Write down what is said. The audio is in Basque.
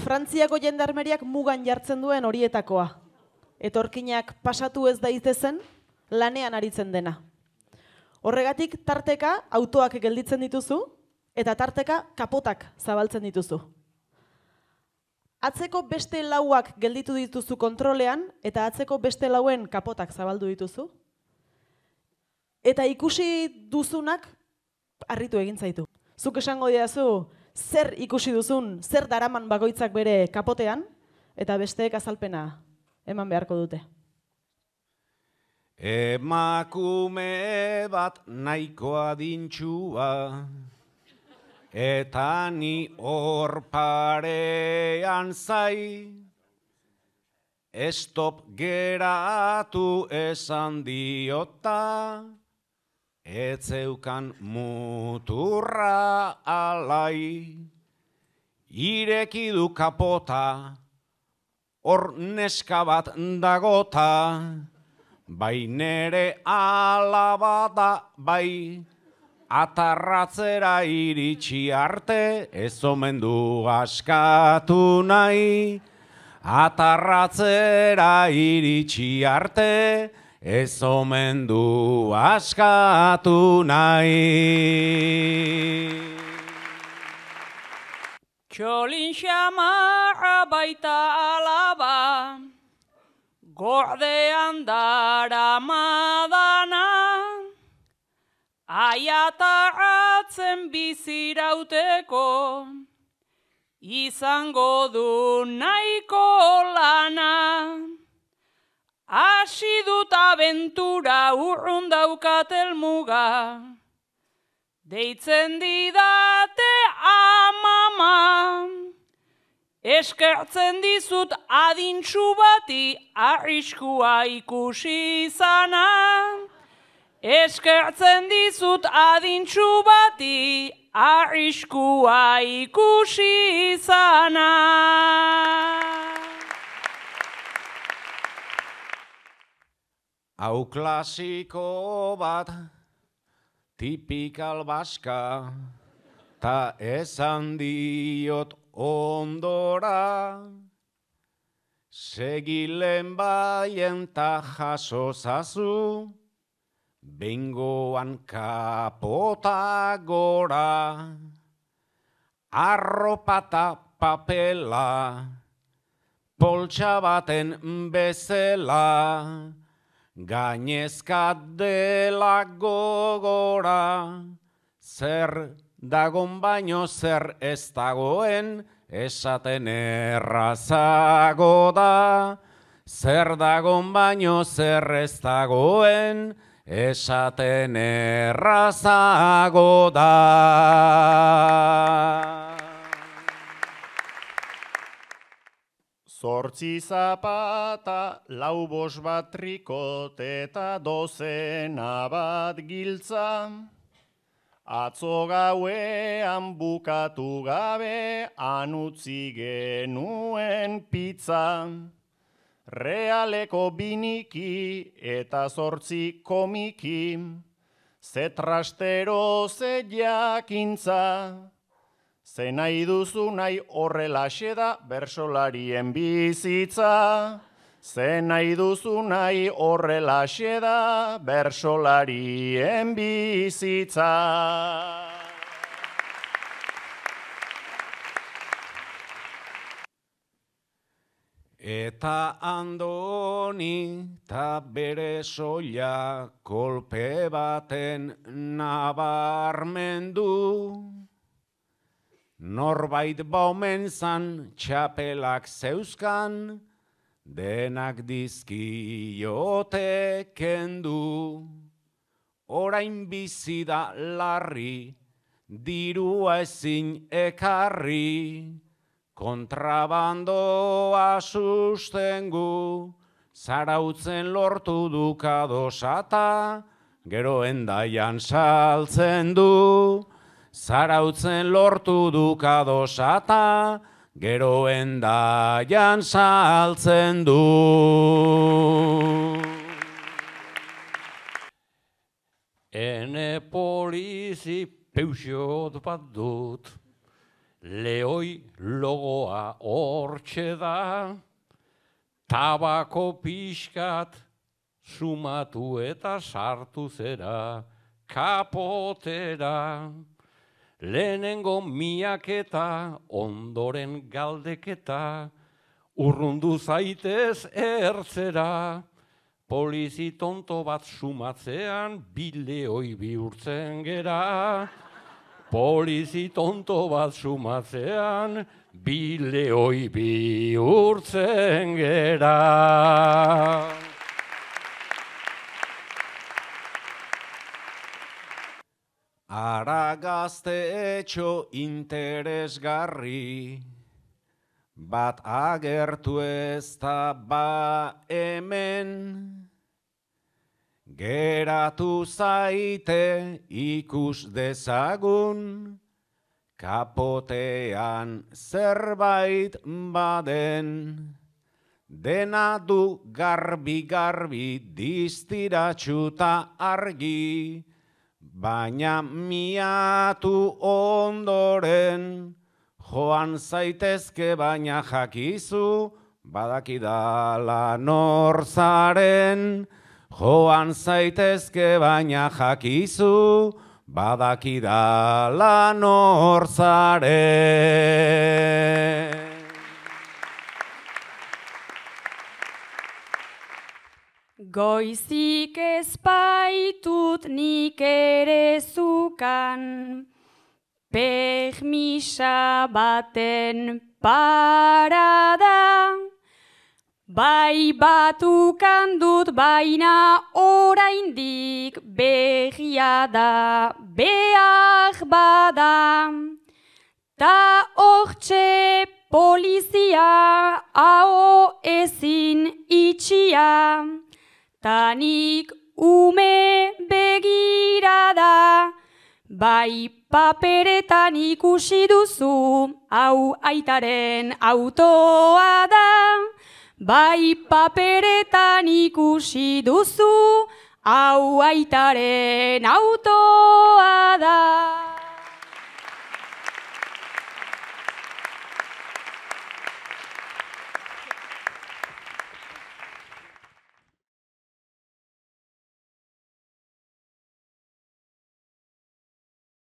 Frantziako jendarmeriak mugan jartzen duen horietakoa. Etorkinak pasatu ez daitezen, lanean aritzen dena. Horregatik tarteka autoak gelditzen dituzu, eta tarteka kapotak zabaltzen dituzu. Atzeko beste lauak gelditu dituzu kontrolean, eta atzeko beste lauen kapotak zabaldu dituzu. Eta ikusi duzunak harritu egin zaitu. Zuk esango didazu, zer ikusi duzun, zer daraman bakoitzak bere kapotean, eta besteek azalpena eman beharko dute. Emakume bat nahiko adintxua, eta ni hor parean zai, estop geratu esan diota, etzeukan muturra alai, ireki du kapota, hor neska bat dagota, bai nere alaba da bai, atarratzera iritsi arte, ez omen du askatu nahi, atarratzera iritsi arte, ez omen du askatu nahi. Txolin xamarra baita alaba, gordean daramadana, aiatarratzen bizirauteko, izango du nahiko lana. Hasi dut abentura urrun daukat helmuga, deitzen didate amama. Eskertzen dizut adintxu bati arriskua ikusi izana. Eskertzen dizut adintxu bati arriskua ikusi izana. Hau klasiko bat, tipikal baska, ta esan diot ondora, segilen baien ta jaso zazu, bengoan kapota gora, arropata papela, poltsa baten bezela, gainezka dela gogora, zer dagon baino zer ez dagoen, esaten errazago da. Zer dagon baino zer ez dagoen, esaten errazago da. Zortzi zapata, lau bos bat trikot eta dozena bat giltza. Atzo gauean bukatu gabe, anutzi genuen pizza. Realeko biniki eta zortzi komiki, ze trastero ze jakintza. Ze nahi duzu nahi horrelaxe da bersolarien bizitza. Ze nahi duzu nahi horrelaxe da bersolarien bizitza. Eta Andoni ta bere soila kolpe baten nabarmendu. Norbait baumen zan txapelak zeuzkan, denak dizkiote kendu. Orain bizi da larri, dirua ezin ekarri, kontrabandoa sustengu, zarautzen lortu dukadosata, gero endaian saltzen du. Zarautzen lortu dukadosata, gero endaian saltzen du. Ene polizi peuxot bat dut, Leoi logoa hortxe da, tabako pixkat sumatu eta sartu zera kapotera. Lehenengo miaketa, ondoren galdeketa, urrundu zaitez ertzera. Polizi tonto bat sumatzean, bileoi bihurtzen gera. Polizi tonto bat sumatzean, bileoi bihurtzen gera. Ara gazte etxo interesgarri, bat agertu ez da ba hemen. Geratu zaite ikus dezagun, kapotean zerbait baden. Dena du garbi-garbi distiratxuta argi, baina miatu ondoren, joan zaitezke baina jakizu, badakidala norzaren. Joan zaitezke baina jakizu, badakidala norzaren. Goizik ezpaitut nik ere zukan, permisa baten parada. Bai batukan dut baina oraindik berria da behar bada. Ta hortxe polizia hau ezin itxia. Tanik ume begirada, bai paperetan ikusi duzu, hau aitaren autoa da. Bai paperetan ikusi duzu, hau aitaren autoa da.